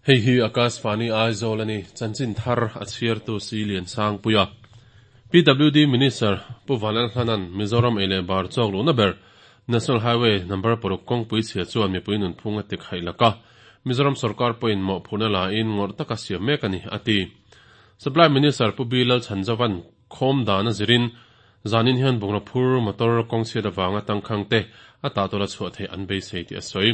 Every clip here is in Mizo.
Hei hi Akashvani Aizawl a ni, chanchin thar a chhiartu Si Liansangpuia. PWD Minister Pu Vanlalhlana'n Mizoram ei leh bar chawk luhna ber National Highway number paruk kawngpui chhia chuan mipui nunphung a tikhaih lak a, Mizoram sorkar pawhin mawhphurhna la in ngawrh taka siam mek a ni, a ti. Supply Minister Pu B Lalchhanzova'n khawm dan a zirin zanin hian bungraw phur motor kawng chhiat avanga tangkhang te a tahtawla chhuah theih an beisei tih a sawi.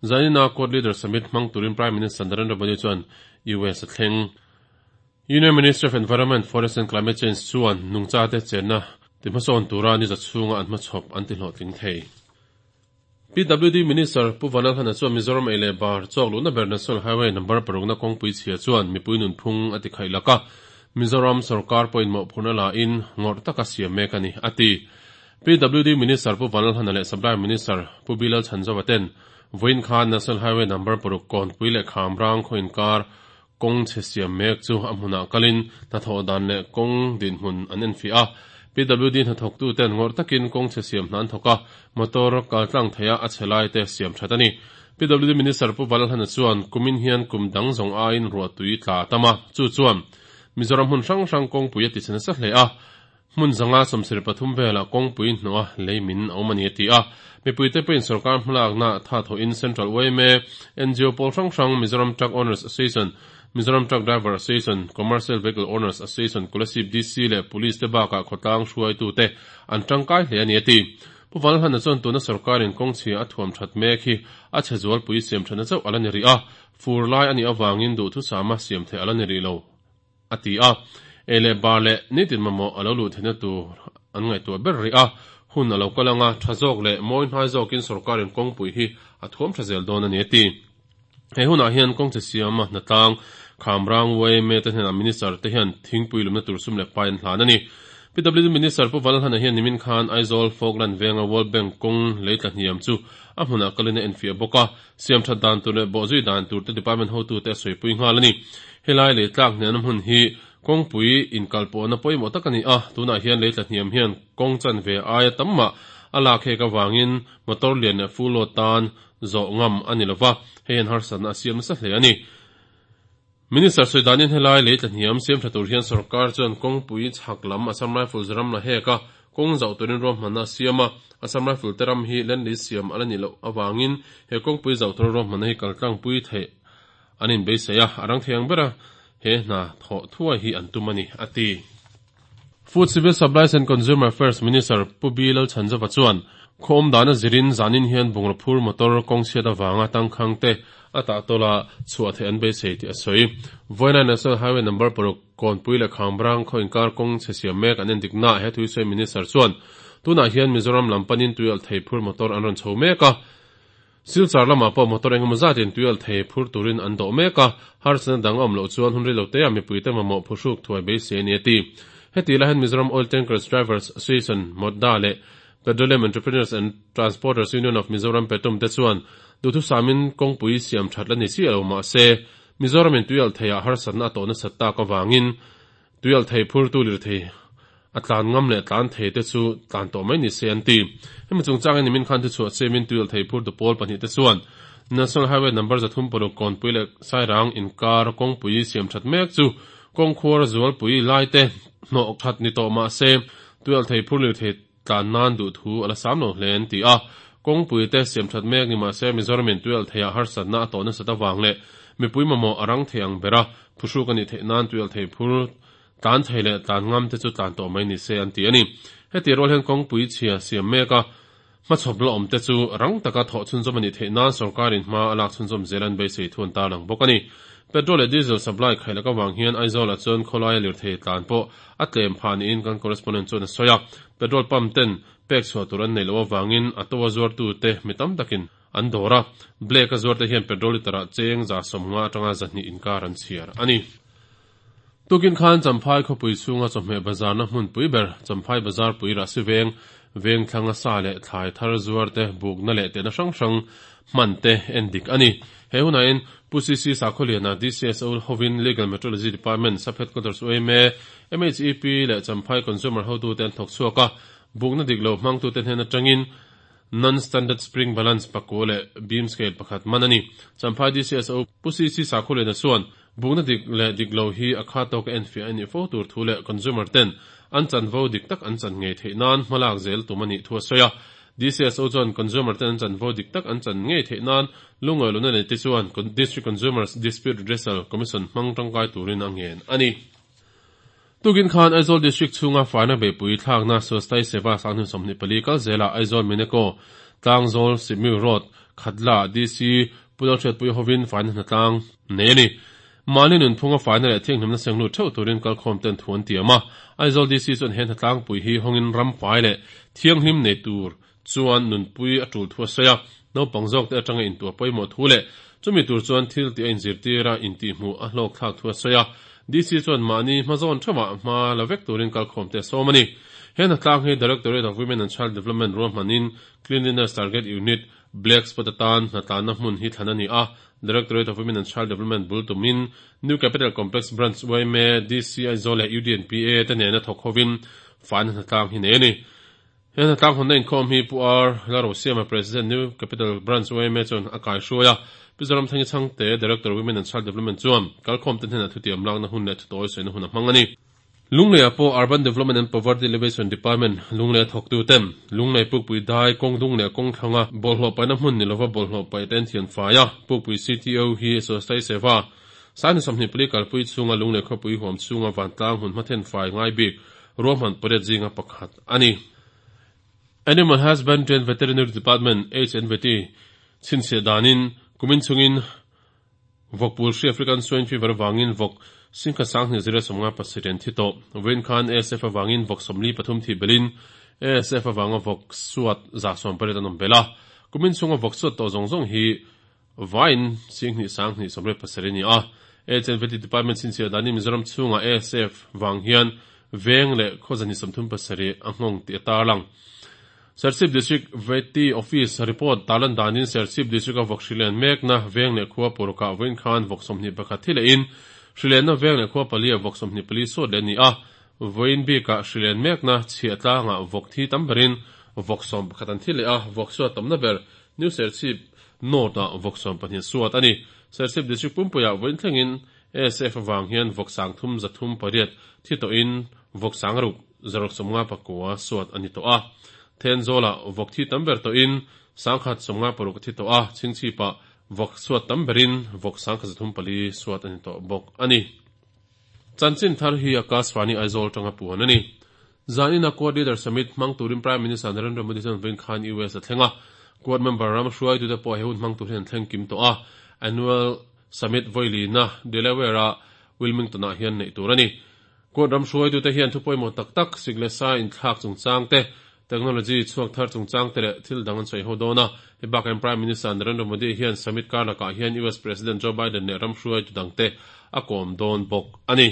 Zanina Quad Leader Summit hmang turin Prime Minister Narendra Modi chuan US a thleng. Union Ministry of Environment, Forest and Climate Change chuan nungchate chenna ti hmasawn tura ni za chhunga an hmachhawp an ti hlawhtling thei. PWD Minister Pu Vanlalhana chuan Mizoram ei leh bar chawk luhna ber National Highway number parukna kawngpui chhia chuan mipui nunphung a ti khaih lak a, Mizoram sorkar pawhin mawhphurhna la in ngawrh taka siam mek a ni, a ti. PWD Minister Pu Vanlalhana leh Supply Minister Pu Bilal Chhanzova ten vawiin khan National Highway number paruk Kawnpui leh Khamrang khaw inkar kawng chhe siam mek chu a hmunah kalin hnathawh dan leh kawng dinhmun an enfiah a. PWD hnathawktu ten ngawrh takin kawng chhe siam hna an thawk a, motor kal tlang theia a chhe lai te siam that a ni. PWD Minister Pu Vanlalhana chuan kumin hian kum dang zawng aiin ruahtui tla a tam a, chu chuan Mizoram hmun hrang hrang kawngpui a ti chhe nasa hle a, Hmun zanga 73 velah kawngpui hnawha lei min a awm a ni a ti a. Mipuite pawhin sorkar hmalakna tha thawhin Central yma, ngo pawl hrang hrang, Mizoram Truck Owners Association, Mizoram Truck Driver Association, Commercial Vehicle Owners Association, Kolasib DC leh Police te bakah khawtlang hruaitute an tangkai hle a ni a ti. Pu Valhana chuan tuna sorkarin kawngchhia a thuam that mek hi a chhe zualpui siam thatna chauh a la ni rih a, fur lai a nih avangin duhthusama siam theih a la ni rih lo. a ti a, ei leh bar leh nitin mamawh a lo luh theihna tur an ngaihtuah ber rih a, hun a lo kal anga tha zawk leh mawi hnai zawkin sorkarin kawngpui hi a thuam tha zel dawn a ni a ti. He hunah hian kawngchhe siama hnatlang Khamrang yma te hnenah Minister te hian thingpui lumna tur sum leh pai an hlan a ni. PWD Minister Pu Valhana hian nimin khan Aizawl Falkland venga World Bank kawng lei tla hniam chu a hmunah kalin a enfiah bawk a, Siam that dan tur leh bawhzui dan tur te department hotute a sawipui nghal a ni. Helai lei tlak hniamna hmun hi kawngpui inkalpawhna pawimawh tak a ni a, tunah hian lei tla hniam hian kawng chanve aia tam mah a lak hek avangin motor lian leh full load tan zawh ngam a ni lova, hei hian harsatna a siam nasa hle a ni. Minister sawi danin helai lei tla hniam siam tha tur hian sorkar chuan kawngpui chhak lam Assam Rifles ram la hek a, kawng zauh turin ruahmanna a siam a, Assam Rifle te ram hi land lease siam a la nih loh avangin he kawngpui zauh tura ruahmanna hi kaltlangpui theih an inbeisei a, a rang thei ang bera he hna thawh thuai hi an tum a ni, a ti. Food Civil Supplies and Consumer Affairs Minister Pu B Lalchhanzova chuan khaw awm dana zirin zanin hian bungraw phur motor kawng chhiat avanga tangkhang te a tahtawla chhuah theih an beisei tih a sawi. Vawiina National Highway number paruk Kawnpui leh Khambrang khaw inkar kawng chhe siam mek an endik naah he thuisawi Minister chuan tunah hian Mizoram lam panin tuialhthei phur motor an rawn chho mek a, Silchar lamah pawh motor engemaw zatin tuialhthei phur turin an dawh mek a, harsatna dang a awm loh chuan hun rilo teah mipuite mamawh phuhruk thuai beisei a ni a ti. Heti lai hian Mizoram Oil Tankers Drivers Association, MOTDA, leh Petroleum Entrepreneurs and Transporters Union of Mizoram, PETUM, te chuan duhthusamin kawngpui siam that la ni chiah lo mah se, Mizoramin tuialhtheiah harsatna a tawh nasat tak avangin Tuialhthei phurtu lirthei a tlan ngam leh tlan thei te chu tlan tawh mai ni se an ti. Hemi chungchangin nimin khan thuchhuah siamin tuialhthei phurtu pawl pahnih te chuan National Highway number 306 Kawnpui leh Sairang inkar kawngpui siam that mek chu kawngkhuar zualpui lai te hnawh khat ni tawh mah se tuialhthei phur lirthei tlan nan duh thu a la sam lo hle an ti a. Kawngpui te siam that mek ni mah se Mizoramin tuialhtheiah harsatna a tawh nasat avang leh mipui mamawh a rang thei ang bera Phuhruk a nih theih nan tuialhthei phur tlan thei leh tlan ngam te chu tlan tawh mai ni se an ti a ni. Heti rual hian kawngpui chhia siam mek a, hmachhawp la awm te chu rang taka thawh chhunzawm a nih theih nan sorkarin hma a lak chhunzawm zel an beisei thu an tarlang bawk a ni. Petrol leh diesel supply khaih lak avang hian Aizawl ah chuan khawlaia lirthei tlan pawh a tlem phah niin kan correspondent chuan a sawi a. Petrol pump ten pek chhuah tur an neih loh avangin a to a zuartute mi tam takin An dawr a, Blake a zuarte hian petrol litre ah cheng 150 atanga 200 inkar an chhiar a ni. Tukin khan Champhai khawpui chhunga chawhmeh bazarna hmunpui ber Champhai Bazar pui Rahsi veng, veng thlanga sa leh thlai thar zuarte bukna leh tehna hrang hrang hman te en dik a ni. He hunahin Pu CC Sakhawliana DCSO hovin Legal Metrology Department, Sub Headquarters UMA, MHEP leh Champhai Consumer hotute an thawk chhuak a, bukna dik lo hmangtute hnen atangin. Non-Standard Spring Balance pakua leh Beam Scale pakhat man a ni. Champhai DCSO Pu CC Sakhulena chuan bukna dik leh dik lo hi a kha tawka enfiah a nih fo tur thu leh consumer ten an chanvo dik tak an chan ngei theih nan hmalak zel tum a nih thu a sawi a. DCSO chuan consumer ten an chanvo dik tak an chan ngei theih nan lungawi lohna nei te chuan District Consumers Dispute Redressal Commission hmang tangkai turin a ngen a ni. Tukin khan Aizawl District chhunga faina beihpui thlakna Swasthai Seva Sanghnin 24 kal zelah Aizawl Mineko Tlangzawl Sihmiu Road Khatla DC Pu Lalhriatpui hovin faina hnatlang nei a ni. Mahni nunphunga faina leh thianghlimna seng lut theuh turin kalkhawm ten thu an tiam a. Aizawl DC chuan he hnatlangpui hi hawngin ram fai leh thianghlim nei tur chuan nunpui a tul thu a sawi a. Naupang zawkte atanga intuah pawimawh thu leh chumi tur chuan thil tih a inzirtir a, intihhmuh a hlawkthlak thu a sawi a. DC chuan mahni hmazawn theuhah hma la vek turin kalkhawmte a sawm a ni. He hnatlang hi Directorate of Women and Child Development ruahmanin Cleanliness Target Unit, Black Spot atan hnatlanna hmun hi thlan a ni a. Directorate of Women and Child Development bul tumin New Capital Complex Branch yma, DC Aizawl leh UDNPA te nena thawk hovin faina hnatlang hi nei a ni. He hnatlang hawnna inkhawm hi Pu R. Lalrosiama, President, New Capital Branch yma chuan a kaihruai a. Pi Zoramthangi Chhangte, Director, Women and Child Development chuan kalkhawmte hnenah thutiam lakna hun leh thutawi sawina hun a hmang a ni. Lungleiah pawh Urban Development and Poverty Alleviation Department Lunglei a thawktu ten Lunglei Pukpui dai kawng dung leh kawng thlanga bawlhhlawh paihna hmun ni lova bawlhhlawh paih te an thian fai a, Pukpui CTO hi Swasthai Seva Sangni 24 kalpui chhunga Lunglei khawpui huam chhunga vantlang hmun hmathen fai ngai bik ruahman pariat zinga pakhat a ni. Animal Husbandry and Veterinary Department, HNVT, chhinchhiah danin kumin chungin Vawkpul hri African Swine Fever avangin vawk singkhat sanghnih zira 57 an thi tawh. Vawiin khan ASF avangin vawk 43 thih belhin ASF avanga vawk suat 180 an awm belh a. Kumin chhunga vawk suat tawh zawng zawng hi vaiin singhnih sanghnih 87 a ni a. HNVT Department chhinchhiah danin Mizoram chhunga ASF vang hian veng leh khaw 237 a nghawng tih a tarlang. Serchhip District Vety Office report tarlan danin Serchhip District-a vawk hrilen mekna veng leh khua parukah vawiin khan vawk 21 thi lehin hrilenna veng leh khua paliah vawk 24 sawt leh a ni a. Vawiin bikah hrilen mekna chhiah tlangah vawk thi tam berin vawk 11 an thi leh a, vawk suat tamna ber New Serchhip North-ah vawk 12 suat a ni. Serchhip District pumpuiah vawiin thlengin ASF avang hian vawk 3308 thi tawhin vawk 600 659 suat a ni tawh a. Thenzawlah vawk thi tam ber tawhin 156 a thi tawh a, Chhingchhipah vawk suat tam berin vawk 1304 suat a ni tawh bawk a ni. Chanchin thar hi Akashvani Aizawl tanga puan a ni. Zanina Quad Leader Summit hmang turin Prime Minister Narendra Modi chuan vawiin khan US a thleng a. Quad member ram hruaitute pawh he hun hmang tur hian an thleng kim tawh a. Annual Summit vawilina Delaware-a Wilmington-ah hian neih tur a ni. Quad ram hruaitute hian thu pawimawh tak tak, sik leh sa inthlak chungchang te, technology chhuak thar chungchang te leh thil dang an sawi ho dawn a. Hei bakah hian Prime Minister Narendra Modi hian summit kar lakah hian US President Joe Biden leh ram hruaitu dangte a kawm dawn bawk a ni.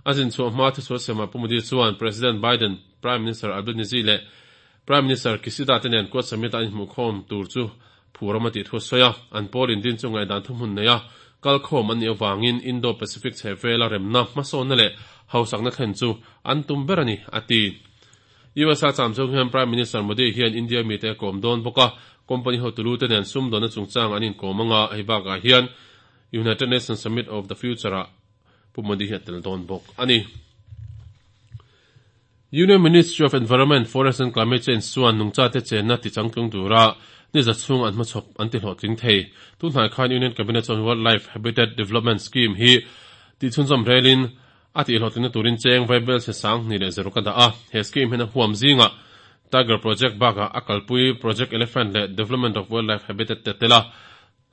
A zinchhuah hma thuchhuah siamah Pu Modi chuan President Biden, Prime Minister Albanese leh Prime Minister Kishida te nen Quad Summit-a an inhmuhkhawm tur chu phuram a tih thu a sawi a. An pawl indin chu ngaihdan thuhmun neia kalkhawm an nih avangin Indo-Pacific chhehvela remna, hmasawnna leh hausakna thlen chu an tum ber a ni, a ti. USA cham chung hian Prime Minister Modi hian India mite a kawm dawn bawk a, company hotu te nen sumdawnna chungchang an inkawm anga hei bakah hian United Nations Summit of the Future-ah Pu Modi hi a tel dawn bawk a ni. Union Ministry of Environment, Forest and Climate Change chuan nungchate chenna tichangtlung tura ni za chhung an hmachhawp an ti hlawhtling thei. Tunhnai khan Union Cabinet chuan Wildlife Habitat Development Scheme hi tihchhunzawm relin a tihhlawhtlingna turin cheng vaibel chhe 2000 leh zaruk a dah a. He scheme hian a huam zingah Tiger Project bakah a kalpui Project Elephant leh Development of Wildlife Habitat te tel a.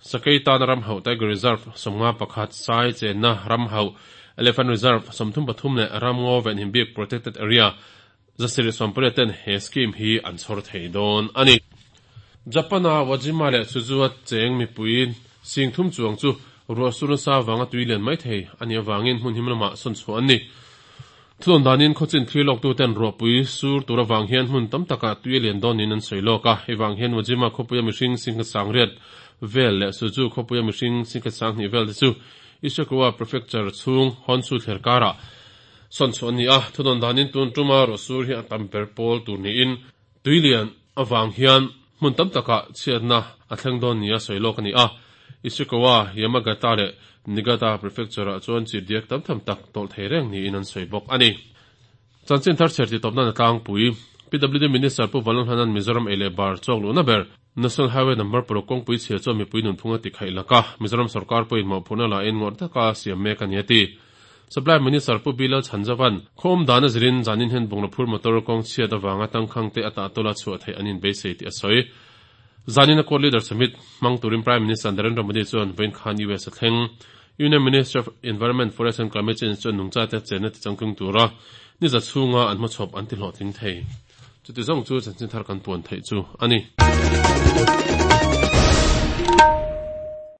Sakei tana ram hauh Tiger Reserve 51, Sai chenna ram hauh Elephant Reserve 33 leh Ramngaw venhim bik Protected Area 780 ten he scheme hi an chhawr thei dawn a ni. Japan-a Wajima leh Suzua cheng mipui 3000 chuang chu ruah sur nasa vanga tui lian mai thei a nih avangin hmun him lamah sawn chhuah an ni. Thudawn danin khawchin thlir lawktu ten ruahpui sur tur avang hian hmun tam takah tui a lian dawn niin an sawi lawk a. Hei vang hian Wajima khawpuia mihring 10,800 vel leh Suzu khawpuia mihring 10,200 vel te chu Ishikawa Prefecture chhung Honshu thler karah sawn chhuah an ni a. Thudawn danin tun tuma ruah sur hi a tam ber pawl tur niin tui lian avang hian Hmun tam takah chhiatna a thleng dawn nia sawi lawk a ni a. Ishikawa, Yamagata leh Niigata Prefecture-ah chuan chirhdiak tam tham tak tawlh thei reng niin an sawi bawk a ni. Chanchin thar chher titawp nan a tlangpui. PWD Minister Pu Vanlalhlana'n Mizoram ei leh bar chawk luhna ber National Highway Number paruk kawngpui chhia chuan mipui nunphung a ti khaih lak a, Mizoram sorkar pawhin mawhphurhna lahin ngawrh taka siam mek a ni a ti. Supply Minister Pu Bilal Chhanzova'n khaw awm dan a zirin zanin hian bungraw phur motor kawng chhiat avanga tangkhangte a tahtawla chhuah theih an inbeisei tih a sawi. Zanin a Quad Leader Summit hmang turin Prime Minister Narendra Modi chuan vawiin khan US a thleng. Union Ministry of Environment, Forest and Climate Change chuan nungchate chenna tichangtlung tura ni za chhunga an hmachhawp an tihlawhtling thei. Chuti zawng chu chanchin thar kan puan theih chu a ni.